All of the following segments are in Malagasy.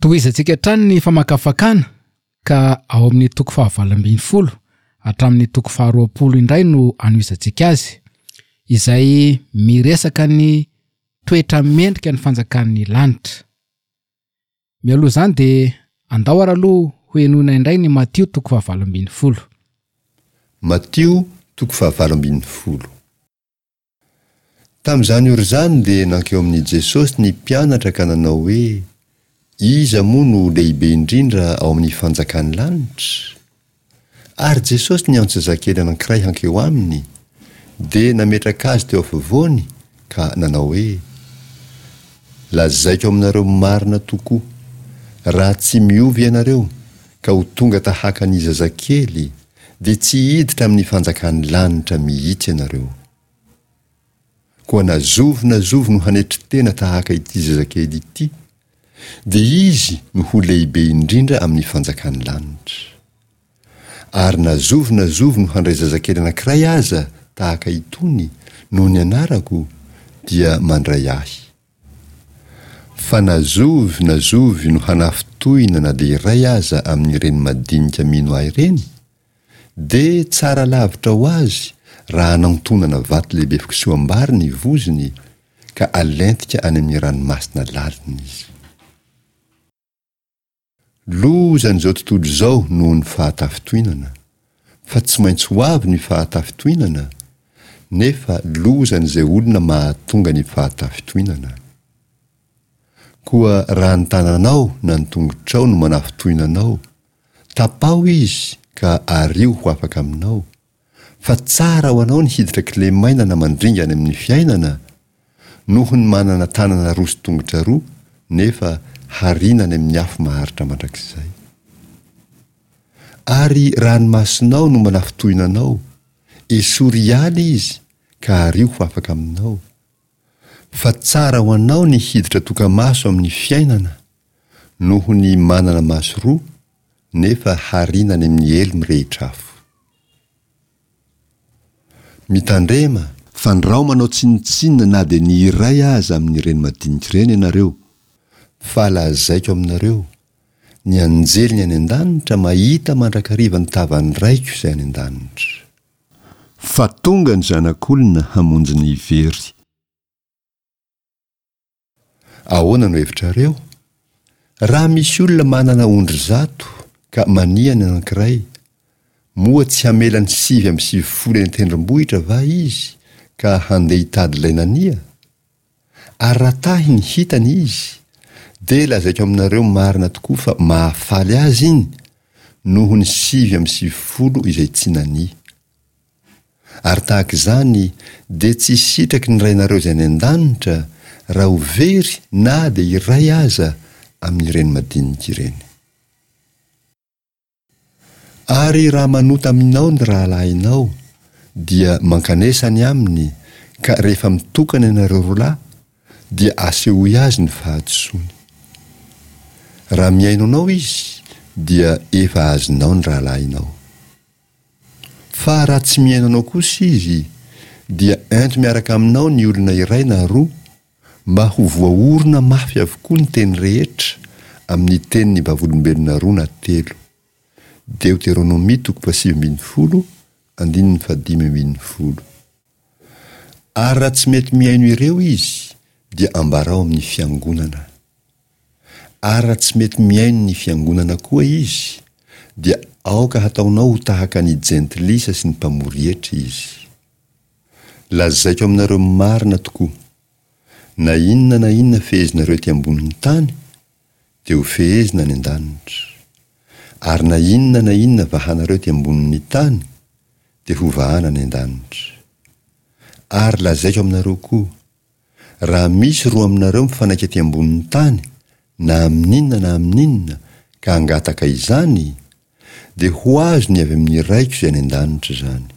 Tohizantsika hatrany ny famakafakana ka ao amin'ny toko fahavalo ambinifolo hatramin'ny toko faharoapolo indray no anohizantsika azy, izay miresaka ny toetra mendrika ny fanjakan'ny lanitra. Mialoha izany dia andao ary aloha ho henoina indray ny Matio toko fahavalo ambinifolo. Matio toko fahavalo ambinifolo. Tamin'izany ora izany dia nankeo amin'i Jesosy ny mpianatra ka nanao hoe, Iza moa no lehibe indrindra ao amin'ny fanjakan'ny lanitra? Ary Jesosy niantso zazakely anankiray hankeo aminy, dia nametraka azy teo afovoany ka nanao hoe, Lazaiko aminareo marina tokoa, raha tsy miova ianareo ka ho tonga tahaka ny zazakely, dia tsy hiditra amin'ny fanjakan'ny lanitra mihitsy ianareo. Koa na zovy na zovy no hanetry tena tahaka ity zazakely ity, dia izy no ho lehibe indrindra amin'ny fanjakan'ny lanitra. Ary na zovy na zovy no handray zazakely anankiray aza tahaka itony noho ny anarako, dia mandray ahy. Fa na zovy na zovy no hanafintohina na dia iray aza amin'ireny madinika mino ahy ireny, dia tsara lavitra ho azy raha anantonana vato lehibe fikisoham-bary ny vozony ka alentika any amin'ny ranomasina lalina izy. Lozan'izao tontolo izao noho ny fahatafintohinana, fa tsy maintsy ho avy ny fahatafintohinana, nefa lozan'izay olona mahatonga ny fahatafintohinana. Koa raha ny tananao na ny tongotrao no manafintohina anao, Tapaho izy ka ario ho afaka aminao, fa tsara ho anao ny hiditra kilemaina na mandringa any amin'ny fiainana, noho ny manana tanana roa sy tongotra roa nefa hariana any amin'ny afo maharitra mandrakizay. Ary raha ny masonao no manafintohina anao, esory hiala izy ka ario ho afaka aminao, fa tsara ho anao ny hiditra toka-maso amin'ny fiainana, noho ny manana maso roa nefa hariana any amin'ny helo mirehitra afo. Mitandrema, fandrao manao tsinontsinona na dia ny iray aza amin'ireny madinika ireny ianareo, fa lazaiko aminareo, ny anjeliny any an-danitra mahita mandrakariva ny tavan'ny Raiko izay any an-danitra. Fa tonga ny Zanak'olona hamonjy ny very. Ahoana no hevitrareo? Raha misy olona manana ondry zato ka mania ny anankiray, moa tsy hamela ny 99 eny an-tendrombohitra va izy ka handeha hitady ilay nania? Ary raha tahy ny hitany izy, dia lazaiko aminareo marina tokoa fa mahafaly azy iny noho ny 99 izay tsy nania. Ary tahaka izany dia tsy sitraky ny Rainareo izay any an-danitra raha ho very na dia iray aza amin'ireny madinika ireny. Ary raha manota aminao ny rahalahinao, dia mankanesa any aminy, ka rehefa mitokana ianareo roa lahy, dia asehoy azy ny fahadisoany. Raha mihaino anao izy, dia efa azonao ny rahalahinao. Fa raha tsy mihaino anao kosa izy, dia ento miaraka aminao ny olona iray na roa, mba ho voaorina mafy avokoa ny teny rehetra amin'ny tenin'ny vavolombelona roa na telo. Deoteronomia toko fahasivy ambinifolo, andininy fahadimy ambinifolo. Ary raha tsy mety mihaino ireo izy, dia ambarao amin'ny fiangonana. Ary raha tsy mety mihaino ny fiangonana koa izy, dia aoka hataonao ho tahaka ny jentilisa sy ny mpamory hetra izy. Lazaiko aminareo marina tokoa, na inona na inona fehezinareo ety ambonin'ny tany, dia ho fehezina any an-danitra. Ary na inona na inona vahanareo ety ambonin'ny tany, dia ho vahana any an-danitra. Ary lazaiko aminareo koa, Raha misy roa aminareo mifanaiky aty ambonin'ny tany, na amin'inona na amin'inona, ka hangataka izany, dia ho azony avy amin'ny Raiko izay any an-danitra izany.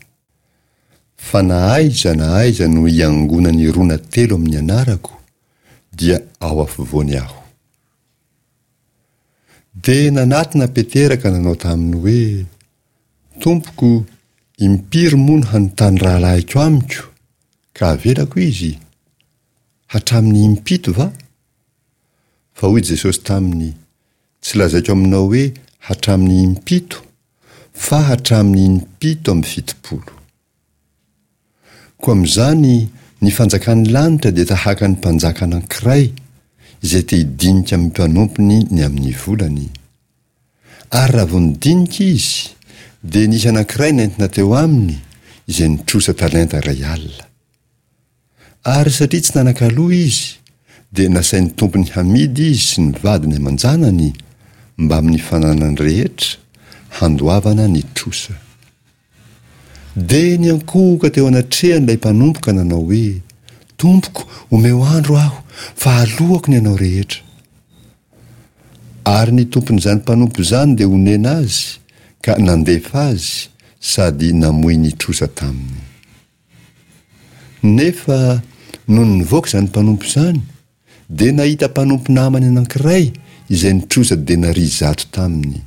Fa na aiza na aiza no hiangonan'ny roa na telo amin'ny anarako, dia ao afovoany Aho. Dia nanatona Petera ka nanao taminy hoe, Tompoko, impiry moa no hanontany rahalahiko amiko, Ka avelako izy? Hatramin'ny impito va? Fa hoy Jesosy taminy, Tsy lazaiko aminao hoe hatramin'ny impito, fa hatramin'ny impito 70. Koa amin'izany ny fanjakan'ny lanitra dia tahaka ny mpanjaka anankiray izay te hidinika amin'ny mpanompony ny amin'ny volany. Ary raha vao nidinika izy, dia nisy anankiray nentina teo aminy izay nitrosa talenta iray alina. Ary satria tsy nanan-kaloa izy, dia nasain'ny tompony hamidy izy sy ny vadiny aman-janany mbamin'ny fananany rehetra, handoavana ny trosa. Dia niankohoka teo anatrehany ilay mpanompo ka nanao hoe, Tompoko, omeo andro aho, fa aloako ny anao rehetra. Ary ny tompon'izany mpanompo izany dia onena azy ka nandefa azy sady namoy ny trosa taminy. Nefa nony nivoaka izany mpanompo izany, dia nahita mpanompo namany anankiray izay nitrosa denaria zato taminy.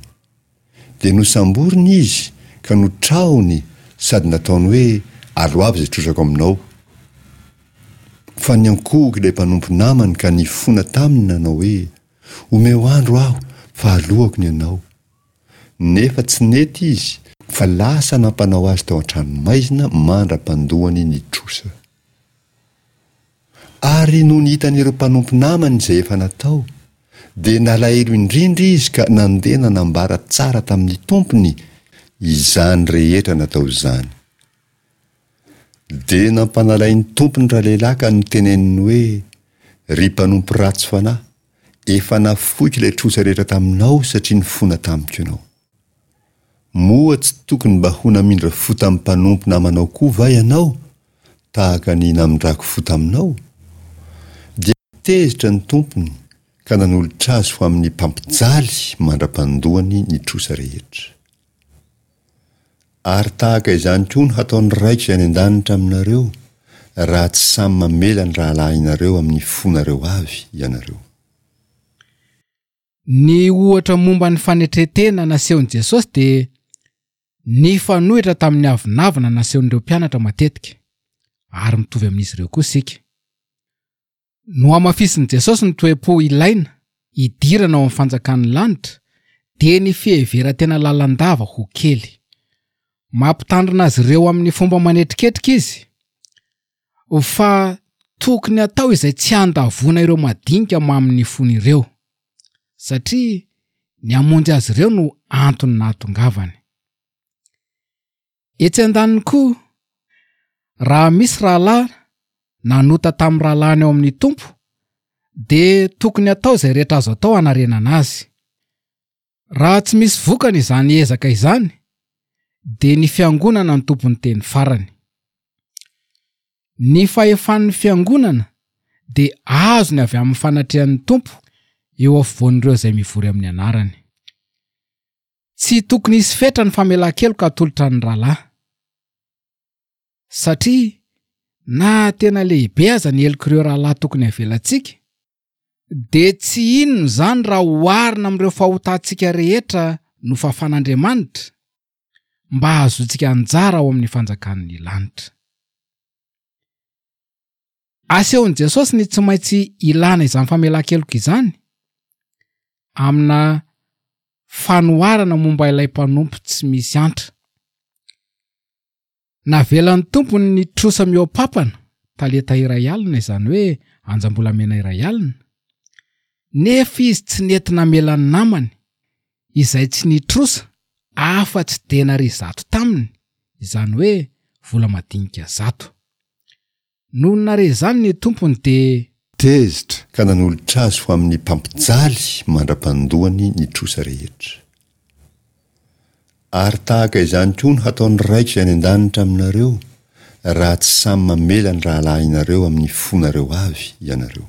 Dia nosamboriny izy ka notrahony sady nataony hoe, Aloavy izay trosako aminao. Fa niankohoka ilay mpanompo namany ka nifona taminy nanao hoe, Omeo andro aho, fa aloako ny anao. Nefa tsy nety izy fa lasa nampanao azy tao an-tranomaizina mandra-pandoany ny trosa. Ary nony hitan'ireo mpanompo namany izay efa natao, dia nalahelo indrindra izy ka nandeha nanambara tsara tamin'ny tompony izany rehetra natao izany. Dia nampanalain'ny tompony ralehilahy ka noteneniny hoe, Ry mpanompo ratsy fanahy, efa nafoiko ilay trosa rehetra taminao satria nifona tamiko ianao. Moa tsy tokony mba ho namindra fo tamin'ny mpanompo namanao koa va ianao, tahaka ny namindrako fo taminao? Dia tezitra ny tompony ka nanolotra azy ho amin'ny mpampijaly mandra-pandoany ny trosa rehetra. Ary tahaka izany koa no hataon'ny Raiko izay any an-danitra aminareo, raha tsy samy mamela ny rahalahinareo amin'ny fonareo avy ianareo. Ny ohatra momba ny fanetren-tena nasehon'i Jesosy dia nifanohitra tamin'ny avonavona nasehon'ireo mpianatra matetika, ary mitovy amin'izy ireo koa isika. Nohamafisin'i Jesosy ny toe-po ilaina hidirana ao amin'ny fanjakan'ny lanitra, dia ny fiheveran-tena lalandava ho kely. Mampitandrina azy ireo amin'ny fomba manetriketrika izy fa tokony hatao izay tsy handavoana ireo madinika mamin'ny fony ireo, satria ny hamonjy azy ireo no antony nahatongavany. Etsy andaniny koa, raha misy rahalahy nanota tamin'ny rahalahiny ao amin'ny Tompo, dia tokony hatao izay rehetra azo atao hanarenana azy. Raha tsy misy vokany izany ezaka izany, dia ny fiangonana no tompon'ny teny farany. Ny fahefan'ny fiangonana dia azony avy amin'ny fanatrehan'ny Tompo eo afovoan'ireo izay mivory amin'ny anarany. Tsy tokony hisy fetra ny famelan-keloka atolotra ny rahalahy. Satria na tena lehibe aza ny helok'ireo rahalahy tokony havelantsika, dia tsy inona izany raha oharina amin'ireo fahotantsika rehetra nofafan'Andriamanitra mba hahazoantsika anjara ao amin'ny fanjakan'ny lanitra. Asehon'i Jesosy ny tsy maintsy ilana izany famelan-keloka izany amina fanoharana momba ilay mpanompo tsy misy antra. Navelan'ny tompony ny trosa mihoa-papana, talenta iray alina, izany hoe anjam-bolamena iray alina, nefa izy tsy nety namela ny namany, izay tsy nitrosa afa-tsy denaria zato taminy, izany hoe vola madinika zato. Nony nare izany ny tompony dia. Tezitra ka nanolotra azy ho amin'ny mpampijaly mandra-pandoany ny trosa rehetra. Ary tahaka izany koa no hataon'ny Raiko izay any an-danitra aminareo, raha tsy samy mamela ny rahalahinareo amin'ny fonareo avy ianareo.